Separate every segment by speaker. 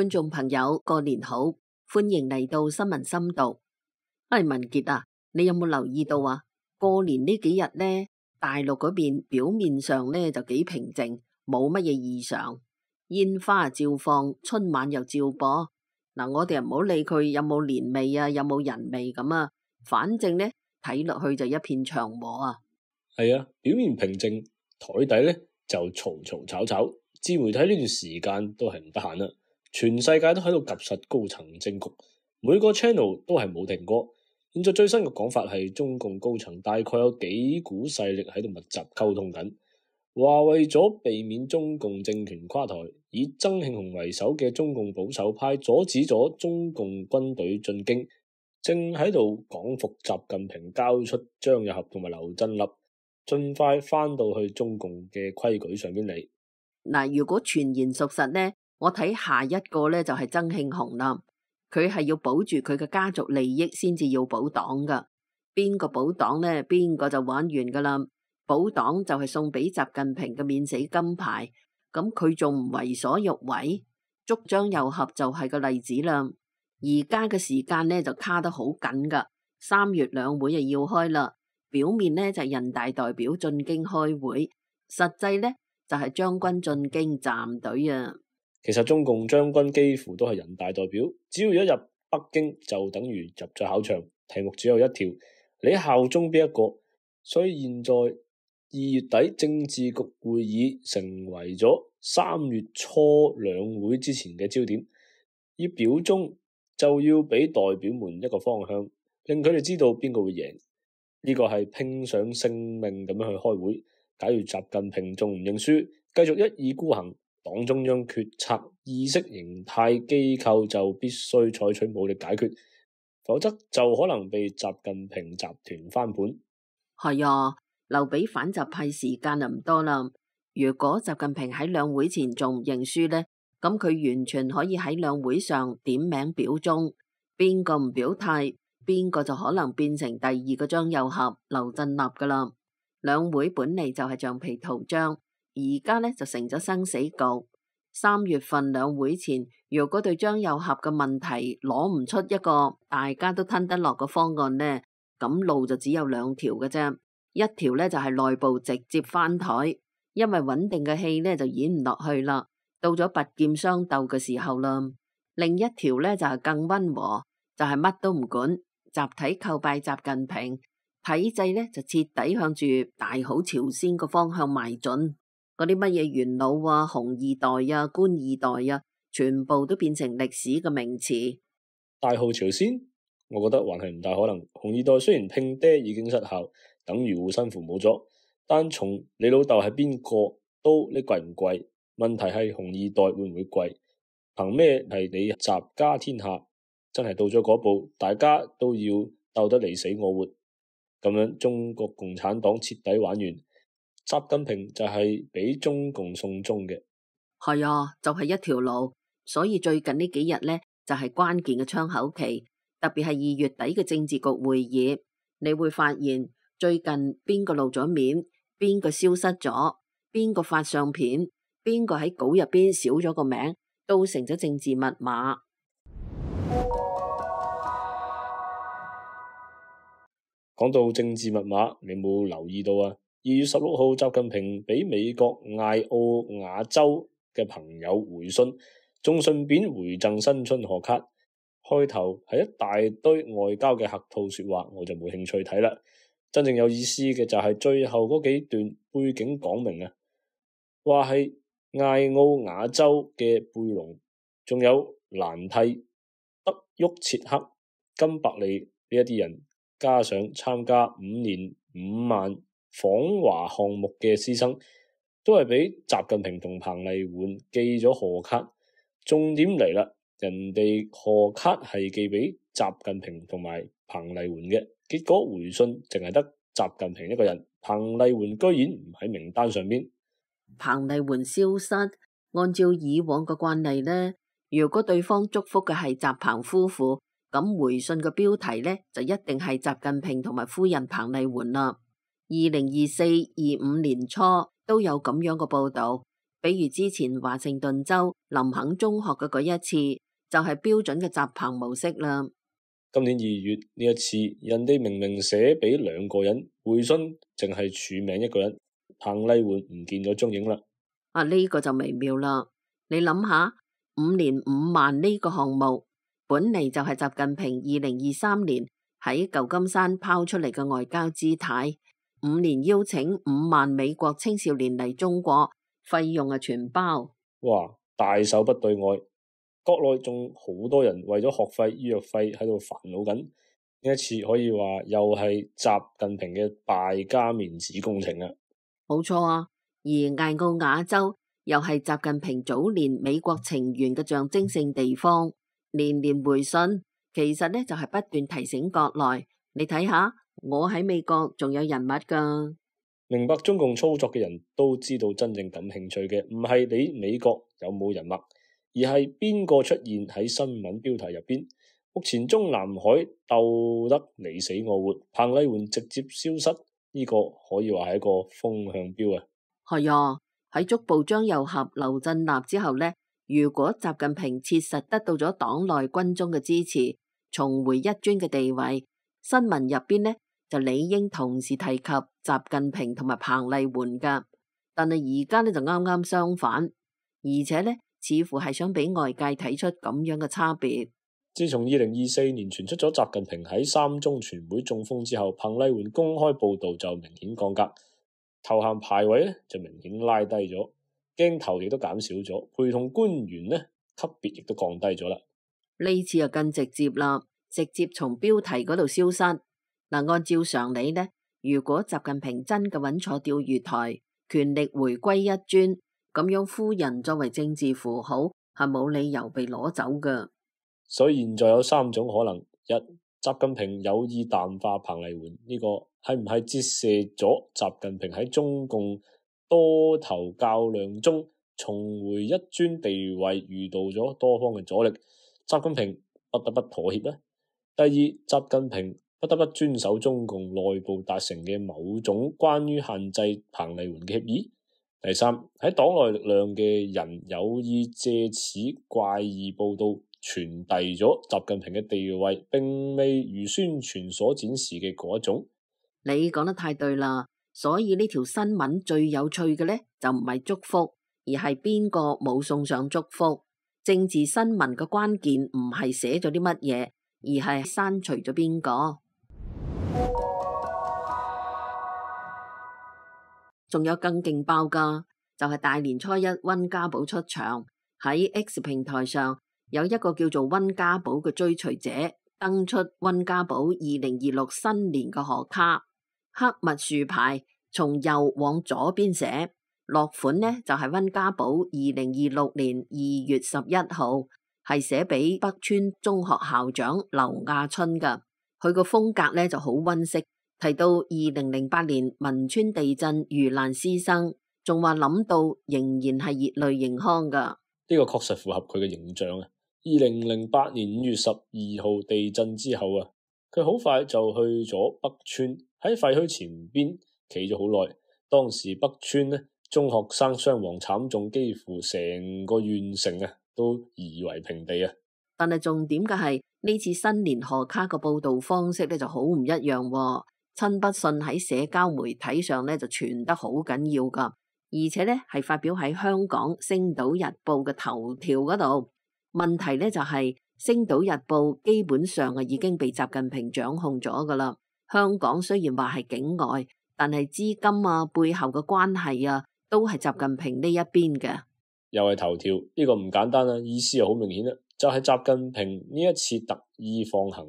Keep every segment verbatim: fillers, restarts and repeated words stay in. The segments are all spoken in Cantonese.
Speaker 1: 觀眾朋友過年好，歡迎嚟到新聞深度。哎，文傑啊，你有冇留意到啊？過年呢幾日呢，大陸嗰邊表面上呢就幾平靜，冇乜嘢異常，煙花照放，春晚又照播。嗱，我哋又唔好理佢有冇年味啊，有冇人味咁啊，反正呢睇落去就一片祥和啊。
Speaker 2: 係啊，表面平靜，台底呢就嘈嘈吵吵。自媒體呢段時間都係唔得閒啦，全世界都喺度夾實高層政局，每個 channel 都係冇停過。現在最新嘅講法係中共高層大概有幾股勢力喺度密集溝通緊，話為咗避免中共政權垮台，以曾慶紅為首嘅中共保守派阻止咗中共軍隊進京，正喺度講服習近平交出張又俠同埋劉振立，盡快翻到去中共嘅規矩上邊嚟。
Speaker 1: 嗱，如果傳言屬實呢，我睇下一個呢就係曾慶紅啦。佢係要保住佢嘅家族利益先至要保黨噶。邊個保黨呢？邊個就玩完噶啦。保黨就係送俾習近平嘅免死金牌，咁佢仲唔為所欲為？捉張又俠就係個例子啦。而家嘅時間呢就卡得好緊噶，三月兩會就要開啦。表面呢就係人大代表進京開會，實際呢就係將軍進京站隊啊！
Speaker 2: 其實中共將軍幾乎都係人大代表，只要一入北京就等於入咗考場，題目只有一條，你效忠邊一個？所以現在二月底政治局會議成為咗三月初兩會之前嘅焦點，要表忠就要俾代表們一個方向，令佢哋知道邊個會贏。呢個係拼上性命咁樣去開會。假如習近平仲唔認輸，繼續一意孤行，黨中央決策意識形態機構就必須採取武力解決，否則就可能被習近平集團翻盤。
Speaker 1: 係啊，留俾反習派時間就唔多啦。如果習近平喺兩會前仲唔認輸呢，咁佢完全可以喺兩會上點名表忠，邊個唔表態，邊個就可能變成第二個張又俠劉振立噶啦。兩會本嚟就係橡皮圖章，而家呢就成咗生死局。三月份兩會前，如果對張又俠嘅問題攞唔出一個大家都吞得落嘅方案呢，咁路就只有兩條嘅啫。一條呢就係內部直接翻台，因為穩定嘅戲呢就演唔落去啦，到咗拔劍相鬥嘅時候啦。另一條呢就係更溫和，就係乜都唔管，集體叩拜習近平。體制呢就徹底向住大好朝鮮個方向邁進，嗰啲乜嘢元老啊、紅二代啊、官二代啊，全部都變成歷史嘅名詞。
Speaker 2: 大好朝鮮，我覺得還係唔大可能。紅二代雖然拼爹已經失效，等於護身符冇咗，但從你老豆係邊個都你貴唔貴？問題係紅二代會唔會貴？憑咩係你習家天下？真係到咗嗰步，大家都要鬥得你死我活。咁樣中國共產黨徹底玩完，習近平就係俾中共送終嘅。
Speaker 1: 係啊，就係一條路。所以最近呢幾日呢，就係關鍵嘅窗口期，特別係二月底嘅政治局會議，你會發現最近邊個露咗面，邊個消失咗，邊個發相片，邊個喺稿入邊少咗個名，都成咗政治密碼。
Speaker 2: 講到政治密碼，你有冇留意到啊？二月十六號，習近平俾美國艾奧瓦州嘅朋友回信，仲順便回贈新春賀卡。開頭係一大堆外交嘅客套說話，我就冇興趣睇啦。真正有意思嘅就係最後嗰幾段背景講明啊，話係艾奧瓦州嘅貝隆，仲有蘭蒂、德沃切克、金伯利呢一啲人。加上參加五年五萬訪華項目嘅師生，都係俾習近平同彭麗媛寄咗賀卡。重點嚟啦，人哋賀卡係寄俾習近平同埋彭麗媛嘅，結果回信淨係得習近平一個人，彭麗媛居然唔喺名單上邊。
Speaker 1: 彭麗媛消失，按照以往嘅慣例呢，如果對方祝福嘅係習彭夫婦，咁回信嘅標題呢，就一定係習近平同埋夫人彭麗媛啦。二零二四、二五年初都有咁樣嘅報道，比如之前華盛頓州林肯中學嘅嗰一次，就係標準嘅習彭模式啦。
Speaker 2: 今年二月呢一次，人哋明明寫俾兩個人，回信淨係署名一個人，彭麗媛唔見咗蹤影啦。
Speaker 1: 啊，呢個就微妙啦。你諗下，五年五萬呢個項目，本嚟就係習近平二零二三年喺舊金山拋出嚟嘅外交姿態。五年邀請五萬美國青少年嚟中國，費用係全包。
Speaker 2: 哇，大手筆對外。國內仲好多人為咗學費、醫藥費喺度煩惱緊。呢一次可以話又係習近平嘅敗家面子工程啊！
Speaker 1: 冇錯啊，而艾奧瓦州又係習近平早年美國情緣嘅象徵性地方，年年回信，其實呢就係不斷提醒國內，你睇下，我喺美國仲有人物噶。
Speaker 2: 明白中共操作嘅人都知道，真正感興趣嘅唔係你美國有冇人脈，而係邊個出現喺新聞標題入邊。目前中南海鬥得你死我活，彭麗媛直接消失，呢、這個可以話係一個風向標啊。
Speaker 1: 係啊，喺捉捕張又俠、劉振立之後呢，如果習近平切實得到咗黨內軍中嘅支持，重回一尊嘅地位，新聞入邊呢就理應同時提及習近平同埋彭麗媛噶。但係而家呢就啱啱相反，而且呢似乎係想俾外界睇出咁樣嘅差別。
Speaker 2: 自從二零二四年傳出咗習近平喺三中全會中風之後，彭麗媛公開報道就明顯降格，頭銜排位咧就明顯拉低咗，鏡頭亦都減少咗，陪同官員呢級別亦都降低咗啦。呢
Speaker 1: 次又更直接啦，直接從標題嗰度消失。嗱，按照常理呢，如果習近平真嘅穩坐釣魚台，權力回歸一尊，咁樣夫人作為政治符號係冇理由被攞走噶。
Speaker 2: 所以現在有三種可能：一、習近平有意淡化彭麗媛，呢、這個係唔係折射咗習近平喺中共多頭較量中重回一尊地位遇到咗多方嘅阻力，習近平不得不妥協呢？第二，習近平不得不遵守中共內部達成嘅某種關於限制彭麗媛嘅協議。第三，喺黨內力量嘅人有意借此怪異報道傳遞咗習近平嘅地位，並未如宣傳所展示嘅嗰一種。
Speaker 1: 你講得太對啦，所以呢條新聞最有趣嘅呢，就唔係祝福，而係邊個冇送上祝福。政治新聞嘅關鍵唔係寫咗啲乜嘢，而係刪除咗邊個。仲有更勁爆噶，就係大年初一溫家寶出場，喺 X 平台上有一個叫做溫家寶嘅追隨者登出溫家寶二零二六新年嘅賀卡，黑密豎牌從右往左邊寫，落款呢就係溫家寶二零二六年二月十一號，係寫俾北川中學校長劉亞春噶。佢個風格呢就好溫馨。提到二零零八年汶川地震遇難師生，仲話諗到仍然係熱淚盈眶噶。
Speaker 2: 呢個確實符合佢嘅形象啊！二零零八年五月十二號地震之後啊，佢好快就去咗北川，喺廢墟前邊企咗好耐。當時北川呢中學生傷亡慘重，幾乎成個縣城啊都夷為平地啊。
Speaker 1: 但係重點嘅係呢次新年賀卡嘅報道方式咧就好唔一樣喎。親筆信喺社交媒體上咧就傳得好緊要噶，而且咧係發表喺香港《星島日報》嘅頭條嗰度。問題咧就係《星島日報》基本上啊已經被習近平掌控咗噶啦。香港雖然話係境外，但係資金啊背後嘅關係啊都係習近平呢一邊嘅。
Speaker 2: 又係頭條，呢個唔簡單啊，意思又好明顯啦，就係習近平呢一次特意放行。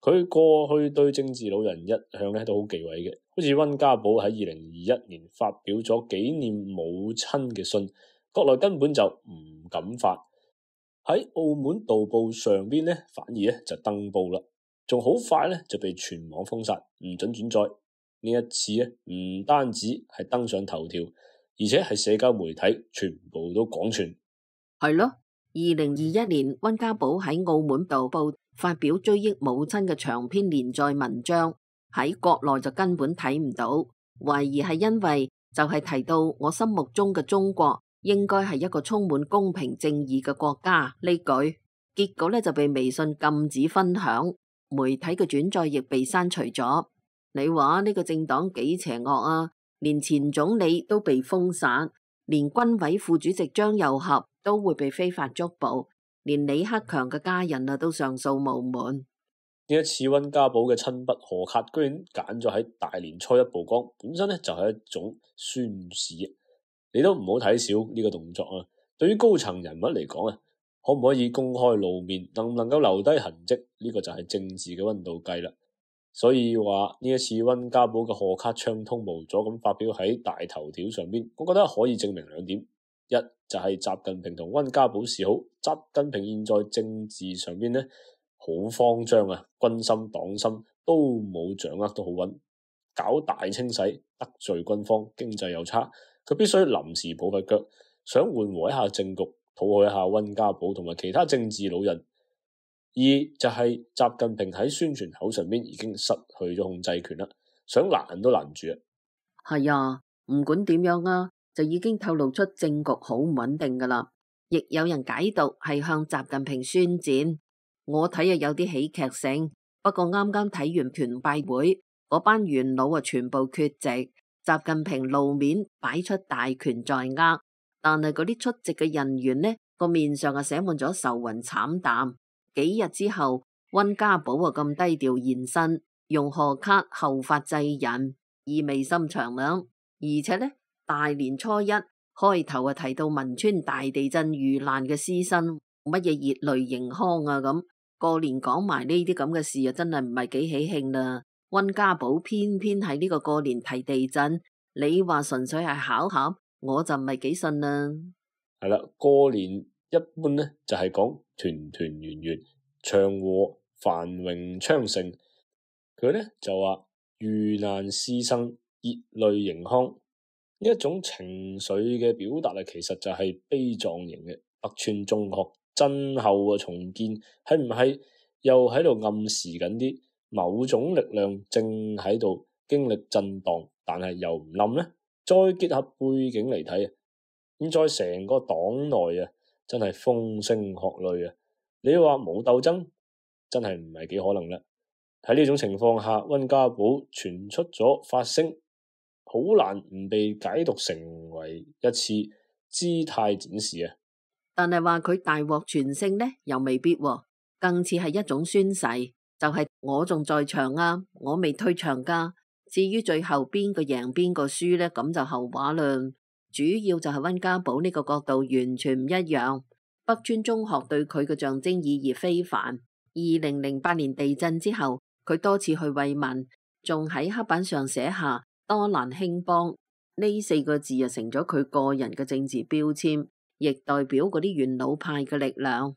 Speaker 2: 佢過去對政治老人一向咧都好忌諱嘅，好似溫家寶喺二零二一年發表咗紀念母親嘅信，國內根本就唔敢發。喺澳門導報上邊咧，反而咧就登報啦，仲好快咧就被全網封殺，唔准轉載。呢一次咧唔單止係登上頭條，而且係社交媒體全部都廣傳。
Speaker 1: 係咯，二零二一年溫家寶喺澳門導報發表追憶母親嘅長篇連載文章，喺國內就根本睇唔到，懷疑係因為就係提到我心目中嘅中國應該係一個充滿公平正義嘅國家呢句，結果呢就被微信禁止分享，媒體嘅轉載亦被刪除咗。你話呢個政黨幾邪惡啊？連前總理都被封殺，連軍委副主席張又俠都會被非法捉捕，連李克強嘅家人啊都上訴無門。
Speaker 2: 呢一次溫家寶嘅親筆賀卡，居然揀咗喺大年初一曝光，本身咧就係一種宣示。你都唔好睇小呢個動作啊！對於高層人物嚟講啊，可唔可以公開露面，能唔能夠留低痕跡，呢個就係政治嘅溫度計啦。所以話呢一次溫家寶嘅賀卡暢通無阻咁發表喺大頭條上邊，我覺得可以證明兩點：一就係習近平同溫家寶示好，習近平現在政治上邊呢，好慌張啊，軍心黨心都冇掌握得好穩，搞大清洗，得罪軍方，經濟又差，佢必須臨時抱佛腳，想緩和一下政局，討好一下溫家寶同埋其他政治老人。二就係習近平喺宣傳口上邊已經失去咗控制權啦，想攔都攔唔住啊。
Speaker 1: 係啊，唔管點樣啊，就已經透露出政局好唔穩定噶啦。亦有人解讀係向習近平宣戰，我睇啊有啲喜劇性。不過啱啱睇完團拜會，嗰班元老啊全部缺席，習近平露面擺出大權在握，但係嗰啲出席嘅人員呢個面上啊寫滿咗愁雲慘淡。幾日之後，溫家寶啊咁低調現身，用賀卡後發制人，意味深長啦。而且呢，大年初一開頭啊提到汶川大地震遇難嘅師生，乜嘢熱淚盈眶啊咁。過年講埋呢啲咁嘅事啊，真係唔係幾喜慶啦。溫家寶偏偏喺呢個過年提地震，你話純粹係巧合，我就唔係幾信啦。
Speaker 2: 係啦，過年一般呢就係講團團圓圓、祥和繁榮昌盛。佢呢就話遇難師生熱淚盈眶，呢一種情緒嘅表達啊，其實就係悲壯型嘅。北川中學震後嘅重建係唔係又喺度暗示緊啲某種力量正喺度經歷震盪，但係又唔冧呢？再結合背景嚟睇啊，咁在成個黨內啊，真係風聲鶴唳啊！你話冇鬥爭，真係唔係幾可能啦。喺呢種情況下，溫家寶傳出咗發聲，好難唔被解讀成為一次姿態展示啊！
Speaker 1: 但係話佢大獲全勝呢，又未必喎，更似係一種宣誓，就係我仲在場啊，我未退場噶。至於最後邊個贏邊個輸呢，咁就後話啦。主要就係溫家寶呢個角度完全唔一樣。北川中學對佢嘅象徵意義非凡。二零零八年地震之後，佢多次去慰問，仲喺黑板上寫下多難興邦呢四個字啊，成咗佢個人嘅政治標籤，亦代表嗰啲元老派嘅力量。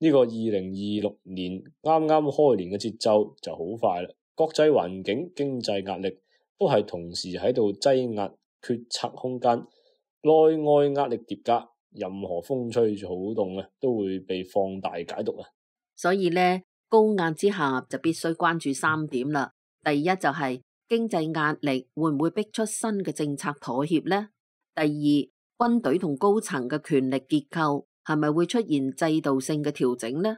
Speaker 2: 呢個二零二六年啱啱開年嘅節奏就好快啦，國際環境、經濟壓力都係同時喺度擠壓決策空間，內外壓力疊加，任何風吹草動啊，都會被放大解讀啊。所以
Speaker 1: 呢，高壓之下就必須關注三點啦。第一就係經濟壓力會唔會逼出新嘅政策妥協呢？第二，軍隊同高層嘅權力結構係咪會出現制度性嘅調整呢？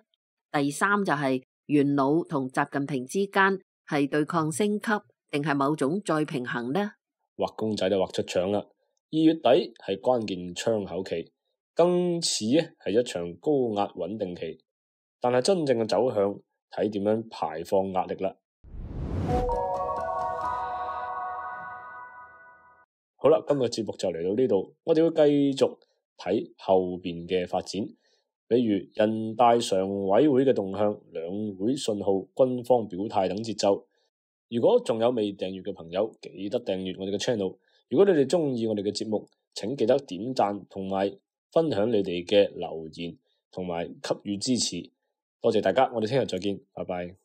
Speaker 1: 第三就係元老同習近平之間係對抗升級，定係某種再平衡呢？
Speaker 2: 畫公仔就畫出腸啦！二月底係關鍵窗口期，更似係一場高壓穩定期。但係真正嘅走向睇點樣排放壓力啦。好啦，今日節目就嚟到呢度，我哋會繼續睇後邊嘅發展，比如人大常委會嘅動向、兩會信號、軍方表態等節奏。如果仲有未訂閱嘅朋友，記得訂閱我哋嘅 channel。如果你哋中意我哋嘅節目，請記得點讚同埋分享你哋嘅留言，同埋給予支持。多謝大家，我哋聽日再見，拜拜。